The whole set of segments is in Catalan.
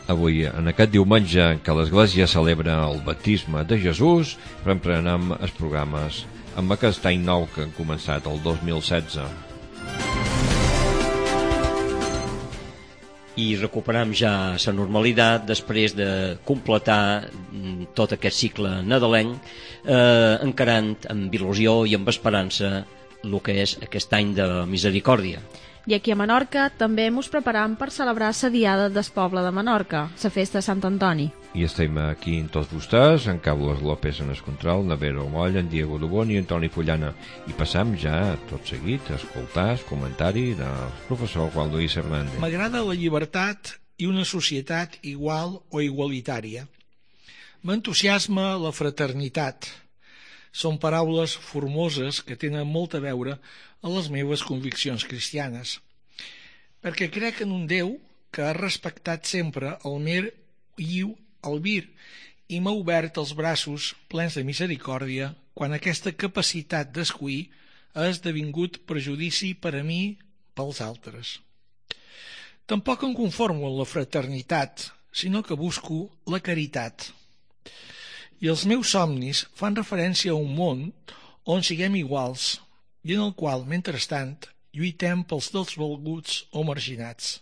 Avui, en aquest diumenge en què l'Església celebra el baptisme de Jesús, reprenem els programes amb aquest any nou que han començat el 2016. I recuperem ja la normalitat després de completar tot aquest cicle nadalenc, encarant amb il·lusió i amb esperança el que és aquest any de misericòrdia. I aquí a Menorca també mos preparam per celebrar la Diada del Poble de Menorca, la festa de Sant Antoni. I estem aquí amb tots vostès, en Carlos López en el control, Navero Moll, en Diego Dubón i Antoni Fullana. I passam ja, tot seguit, a escoltar el comentari del professor Juan Luis Hernández. M'agrada la llibertat i una societat igual o igualitària. M'entusiasma la fraternitat. Són paraules formoses que tenen molt a veure a les meves conviccions cristianes, perquè crec en un Déu que ha respectat sempre el mer lliu albir i m'ha obert els braços plens de misericòrdia quan aquesta capacitat d'escollir ha esdevingut prejudici per a mi pels altres. Tampoc em conformo amb la fraternitat, sinó que busco la caritat. I els meus somnis fan referència a un món on siguem iguals i en el qual, mentrestant, lluitem pels desvalguts o marginats.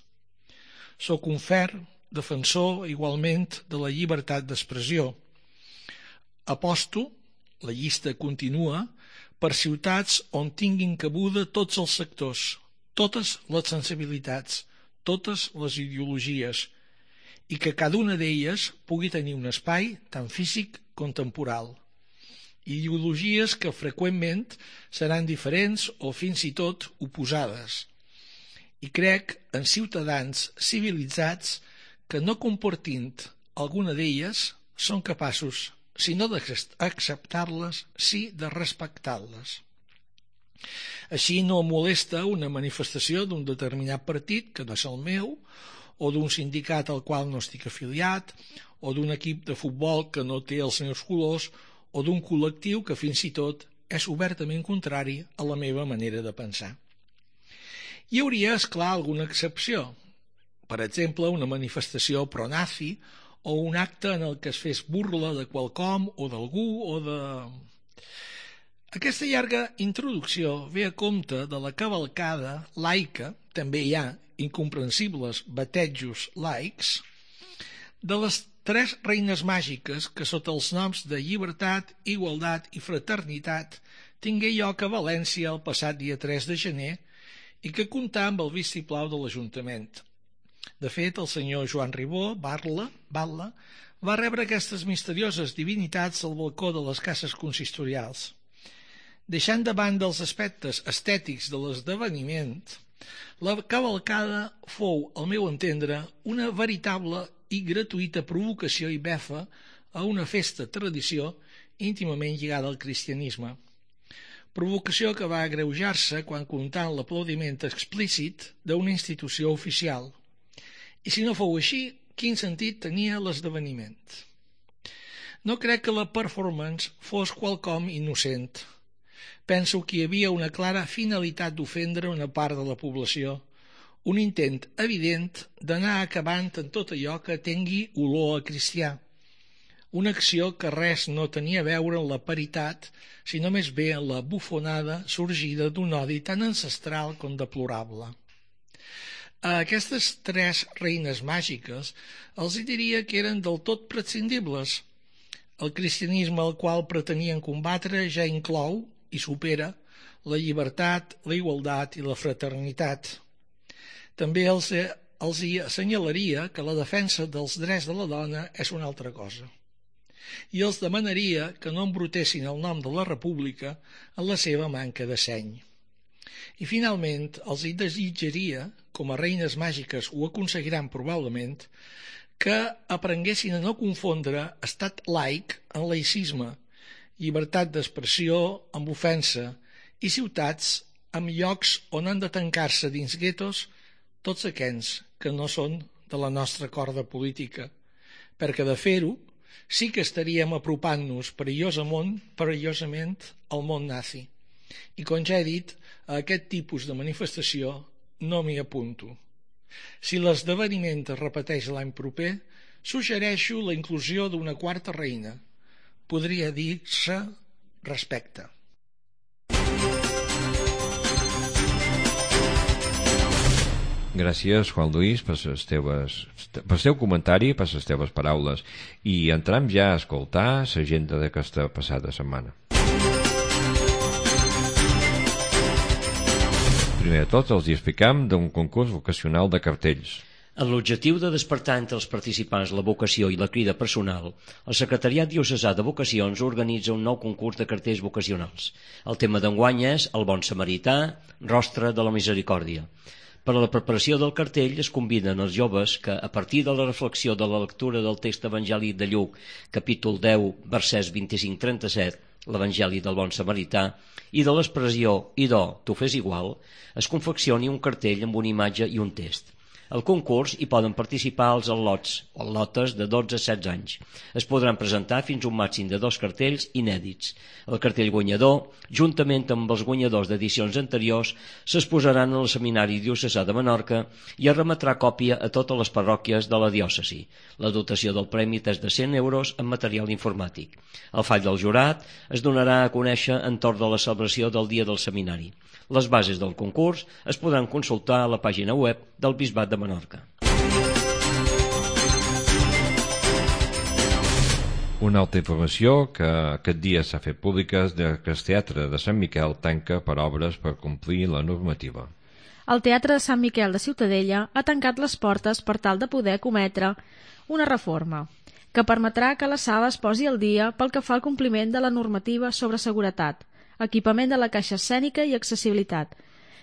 Soc un ferm defensor, igualment, de la llibertat d'expressió. Aposto, la llista continua, per ciutats on tinguin cabuda tots els sectors, totes les sensibilitats, totes les ideologies, i que cada una d'elles pugui tenir un espai tant físic com temporal. Ideologies que freqüentment seran diferents o fins i tot oposades. I crec en ciutadans civilitzats que no compartint alguna d'elles són capaços, si no d'acceptar-les, sí de respectar-les. Així no em molesta una manifestació d'un determinat partit que no és el meu, o d'un sindicat al qual no estic afiliat, o d'un equip de futbol que no té els meus colors, o d'un col·lectiu que fins i tot és obertament contrari a la meva manera de pensar. Hi hauria, esclar, alguna excepció. Per exemple, una manifestació pro-nazi o un acte en el que es fes burla de qualcom o d'algú o de... Aquesta llarga introducció ve a compte de la cavalcada laica, també hi ha incomprensibles batejos laics, de les 3 reines màgiques que sota els noms de llibertat, igualtat i fraternitat tingué lloc a València el passat dia 3 de gener i que comptà amb el vistiplau de l'Ajuntament. De fet, el senyor Joan Ribó, Batlle, va rebre aquestes misterioses divinitats al balcó de les cases consistorials. Deixant de banda els aspectes estètics de l'esdeveniment, la cavalcada fou, al meu entendre, una veritable i gratuïta provocació i befa a una festa tradició íntimament lligada al cristianisme. Provocació que va agreujar-se quan comptant l'aplaudiment explícit d'una institució oficial. I si no fou així, quin sentit tenia l'esdeveniment? No crec que la performance fos quelcom innocent. Penso que hi havia una clara finalitat d'ofendre una part de la població, un intent evident d'anar acabant en tot allò que tingui olor a cristià, una acció que res no tenia a veure amb la paritat, sinó més bé amb la bufonada sorgida d'un odi tan ancestral com deplorable. A aquestes 3 reines màgiques els diria que eren del tot prescindibles. El cristianisme al qual pretenien combatre ja inclou i supera la llibertat, la igualtat i la fraternitat. També els hi assenyalaria que la defensa dels drets de la dona és una altra cosa. I els demanaria que no embrutessin el nom de la República en la seva manca de seny. I finalment els hi desitjaria, com a reines màgiques ho aconseguiran probablement, que aprenguessin a no confondre estat laic en laïcisme, llibertat d'expressió amb ofensa i ciutats amb llocs on han de tancar-se dins guetos tots aquells que no són de la nostra corda política, perquè de fer-ho sí que estaríem apropant-nos perillosament al món nazi. I com ja he dit, a aquest tipus de manifestació no m'hi apunto. Si l'esdeveniment es repeteix l'any proper, suggereixo la inclusió d'una quarta reina. Podria dir-se respecte. Gràcies, Juan Luis, per el teu comentari, per les teves paraules. I entrem ja a escoltar l'agenda d'aquesta passada setmana. Primer de tot, els explicam d'un concurs vocacional de cartells. Amb l'objectiu de despertar entre els participants la vocació i la crida personal, el Secretariat Diocesà de Vocacions organitza un nou concurs de cartells vocacionals. El tema d'enguany és El bon samarità, rostre de la misericòrdia. Per a la preparació del cartell es conviden els joves que, a partir de la reflexió de la lectura del text evangèlic de Lluc, capítol 10, versets 25-37, l'Evangeli del bon samarità, i de l'expressió «idò, tu fes igual», es confeccioni un cartell amb una imatge i un text. Al concurs hi poden participar els al·lots o al·lotes de 12 a 16 anys. Es podran presentar fins a un màxim de 2 cartells inèdits. El cartell guanyador, juntament amb els guanyadors d'edicions anteriors, s'exposaran al Seminari Diocesà de Menorca i es remetrà còpia a totes les parròquies de la diòcesi. La dotació del premi és de 100 euros en material informàtic. El fall del jurat es donarà a conèixer entorn de la celebració del dia del seminari. Les bases del concurs es podran consultar a la pàgina web del Bisbat de Menorca. Una altra informació que aquest dia s'ha fet pública és que el Teatre de Sant Miquel tanca per obres per complir la normativa. El Teatre de Sant Miquel de Ciutadella ha tancat les portes per tal de poder cometre una reforma que permetrà que la sala es posi al dia pel que fa al compliment de la normativa sobre seguretat, equipament de la caixa escènica i accessibilitat,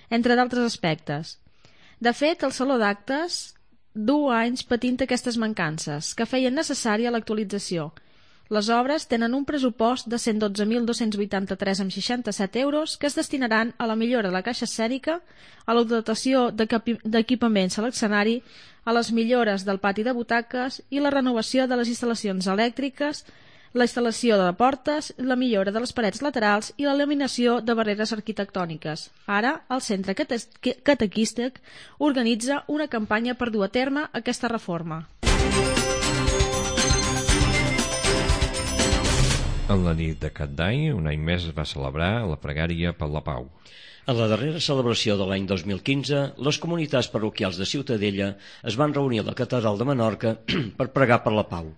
entre d'altres aspectes. De fet, el Saló d'Actes du anys patint aquestes mancances, que feien necessària l'actualització. Les obres tenen un pressupost de 112.283,67 euros que es destinaran a la millora de la caixa escènica, a la dotació d'equipaments a l'escenari, a les millores del pati de butaques i la renovació de les instal·lacions elèctriques, la instal·lació de portes, la millora de les parets laterals i l'eliminació de barreres arquitectòniques. Ara, el Centre Catequístic organitza una campanya per dur a terme aquesta reforma. En la nit de Cap d'Any, un any més es va celebrar la pregària per la pau. En la darrera celebració de l'any 2015, les comunitats parroquials de Ciutadella es van reunir a la Catedral de Menorca per pregar per la pau.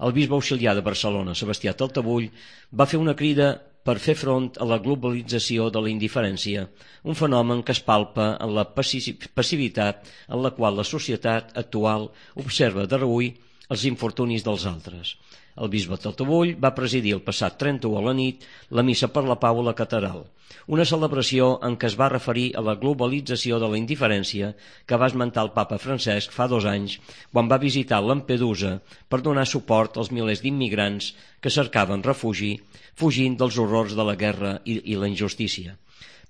El bisbe auxiliar de Barcelona, Sebastià Taltabull, va fer una crida per fer front a la globalització de la indiferència, un fenomen que es palpa en la passivitat en la qual la societat actual observa de reüll els infortunis dels altres. El bisbe Taltabull va presidir el passat 31 a la nit la missa per la pau a la catedral, una celebració en què es va referir a la globalització de la indiferència que va esmentar el papa Francesc fa 2 anys quan va visitar Lampedusa per donar suport als milers d'immigrants que cercaven refugi fugint dels horrors de la guerra i la injustícia.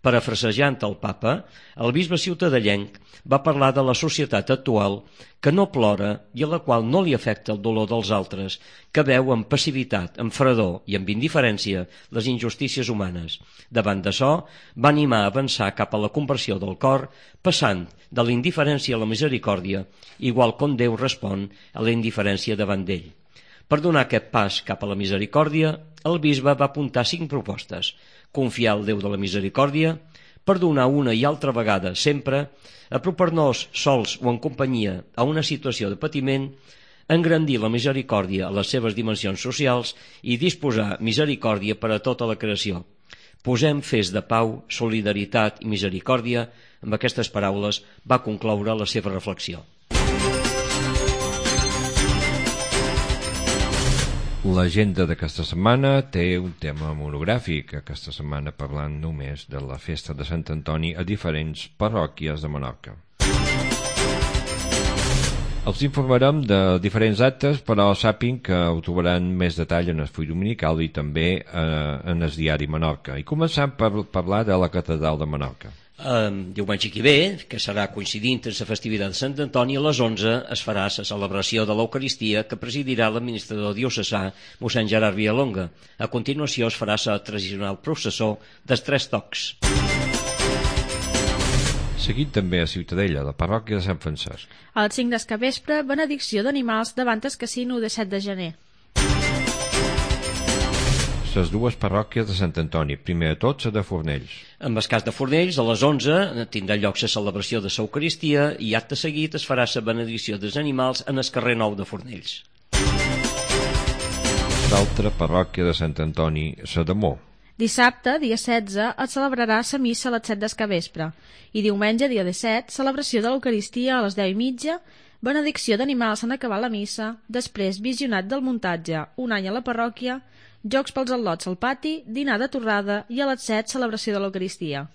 Parafrasejant el papa, el bisbe ciutadellenc va parlar de la societat actual que no plora i a la qual no li afecta el dolor dels altres, que veu amb passivitat, amb fredor i amb indiferència les injustícies humanes. Davant d'això, va animar a avançar cap a la conversió del cor, passant de la indiferència a la misericòrdia, igual com Déu respon a la indiferència davant d'ell. Per donar aquest pas cap a la misericòrdia, el bisbe va apuntar 5 propostes: confiar al Déu de la misericòrdia, perdonar una i altra vegada sempre, apropar-nos sols o en companyia a una situació de patiment, engrandir la misericòrdia a les seves dimensions socials i disposar misericòrdia per a tota la creació. Posem fes de pau, solidaritat i misericòrdia. Amb aquestes paraules va concloure la seva reflexió. L'agenda d'aquesta setmana té un tema monogràfic, aquesta setmana parlant només de la festa de Sant Antoni a diferents parròquies de Menorca. Els informarem de diferents actes, però sàpiguen que ho trobaran més detall en el full dominical i també en el diari Menorca. I començant per parlar de la Catedral de Menorca. Diumenge que ve, que serà coincidint amb la festivitat de Sant Antoni, a les 11 es farà la celebració de l'Eucaristia que presidirà l'administrador diocesà mossèn Gerard Villalonga. A continuació es farà la tradicional processó dels 3 tocs. Seguit també a Ciutadella, la parròquia de Sant Francesc. A les 5 del capvespre, benedicció d'animals davant el casino de 7 de gener. Les dues parròquies de Sant Antoni, primer de tot la de Fornells. En el cas de Fornells, a les 11 tindrà lloc la celebració de l'Eucaristia i acte seguit es farà la benedicció dels animals en el carrer Nou de Fornells. L'altra parròquia de Sant Antoni, la de Mó. Dissabte, dia 16, es celebrarà la missa a les 7 del capvespre i diumenge, dia 17, celebració de l'Eucaristia a les 10:30, benedicció d'animals en acabar la missa, després visionat del muntatge, un any a la parròquia, jocs pels al·lots al pati, dinar de torrada i a les 7 celebració de l'Eucaristia.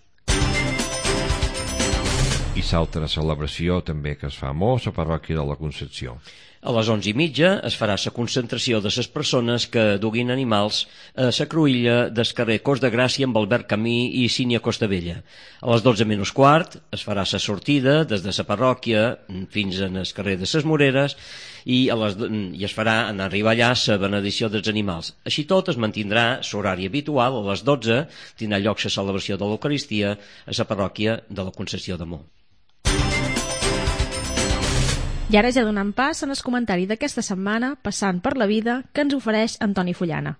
I l'altra celebració també que es fa a Mó, la parròquia de la Concepció. A les 11:30 es farà la concentració de les persones que duguin animals a la cruïlla del carrer Cos de Gràcia amb Albert Camí i Sínia Costabella. A les 12:15 es farà la sortida des de la parròquia fins al carrer de les Moreres i es farà en arribar allà la benedicció dels animals. Així tot es mantindrà l'horari habitual. A les 12 tindrà lloc la celebració de l'Eucaristia a la parròquia de la Concepció de Mó. I ara ja donant pas en el comentari d'aquesta setmana, passant per la vida, que ens ofereix Antoni Fullana.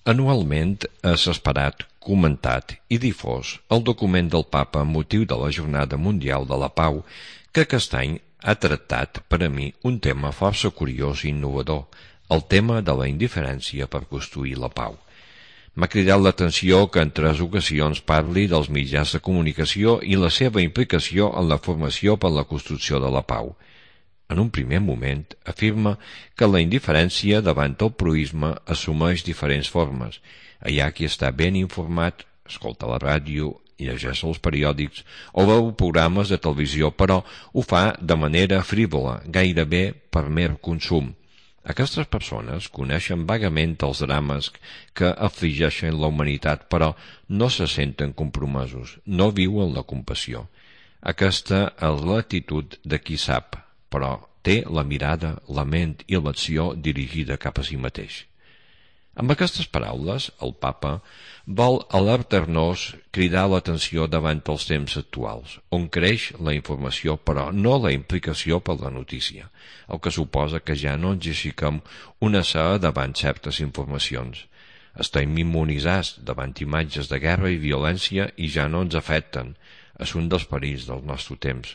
Anualment és esperat, comentat i difós el document del Papa amb motiu de la Jornada Mundial de la Pau, que aquest any ha tractat per a mi un tema força curiós i innovador, el tema de la indiferència per construir la pau. M'ha cridat l'atenció que en 3 ocasions parli dels mitjans de comunicació i la seva implicació en la formació per la construcció de la pau. En un primer moment afirma que la indiferència davant el proïsme assumeix diferents formes. Hi ha qui està ben informat, escolta la ràdio, llegeix els periòdics o veu programes de televisió, però ho fa de manera frívola, gairebé per mer consum. Aquestes persones coneixen vagament els drames que afligeixen la humanitat, però no se senten compromesos, no viuen la compassió. Aquesta és l'actitud de qui sap, però té la mirada, la ment i l'acció dirigida cap a si mateix. Amb aquestes paraules, el Papa vol alertar-nos, cridar l'atenció davant els temps actuals, on creix la informació però no la implicació per la notícia, el que suposa que ja no ens aixequem una saga davant certes informacions. Estem immunitzats davant imatges de guerra i violència i ja no ens afecten. És un dels perills del nostre temps.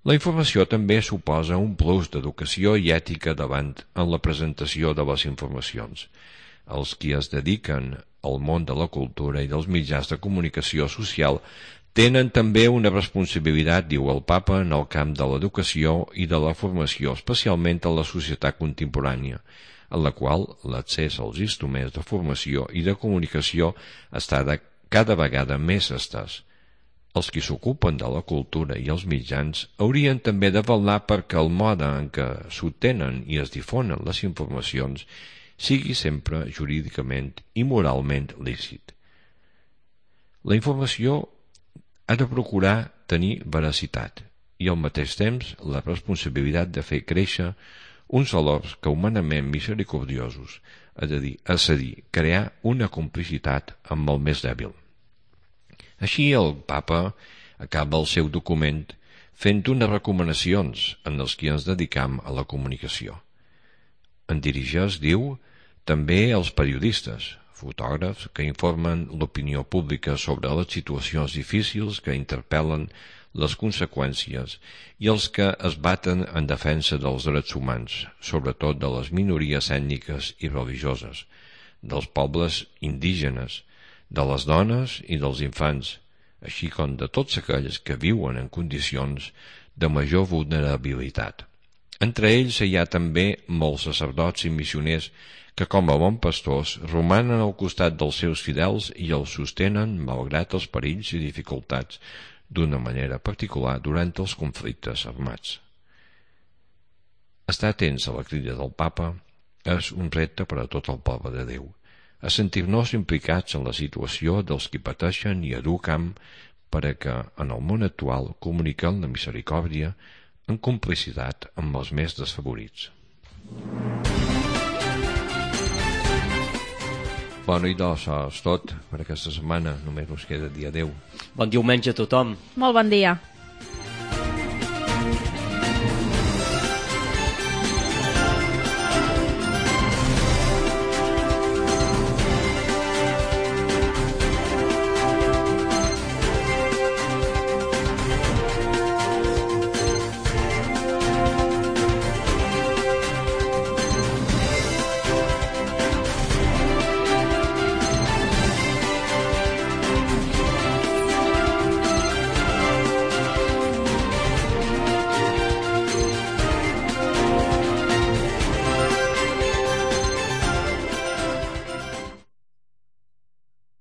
La informació també suposa un plus d'educació i ètica davant en la presentació de les informacions. Els qui es dediquen al món de la cultura i dels mitjans de comunicació social tenen també una responsabilitat, diu el Papa, en el camp de l'educació i de la formació, especialment en la societat contemporània, en la qual l'accés als instruments de formació i de comunicació està cada vegada més estès. Els qui s'ocupen de la cultura i els mitjans haurien també de vetllar perquè el mode en què s'obtenen i es difonen les informacions sigui sempre jurídicament i moralment lícit. La informació ha de procurar tenir veracitat i al mateix temps la responsabilitat de fer créixer uns valors que humanament misericordiosos, és a dir, crear una complicitat amb el més dèbil. Així el Papa acaba el seu document fent unes recomanacions en els que ens dedicam a la comunicació. En dirigeix, diu, també als periodistes, fotògrafs que informen l'opinió pública sobre les situacions difícils que interpel·len les conseqüències i els que es baten en defensa dels drets humans, sobretot de les minories ètniques i religioses, dels pobles indígenes, de les dones i dels infants, així com de tots aquells que viuen en condicions de major vulnerabilitat. Entre ells hi ha també molts sacerdots i missioners que, com a bons pastors, romanen al costat dels seus fidels i els sostenen malgrat els perills i dificultats, d'una manera particular durant els conflictes armats. Estar atents a la crida del Papa és un repte per a tot el poble de Déu, a sentir-nos implicats en la situació dels qui pateixen i educam per a que, en el món actual, comuniquem la misericòrdia en complicitat amb els més desfavorits. Bueno, i doncs és tot per aquesta setmana. Només ens queda dia 10. Bon diumenge a tothom. Molt bon dia.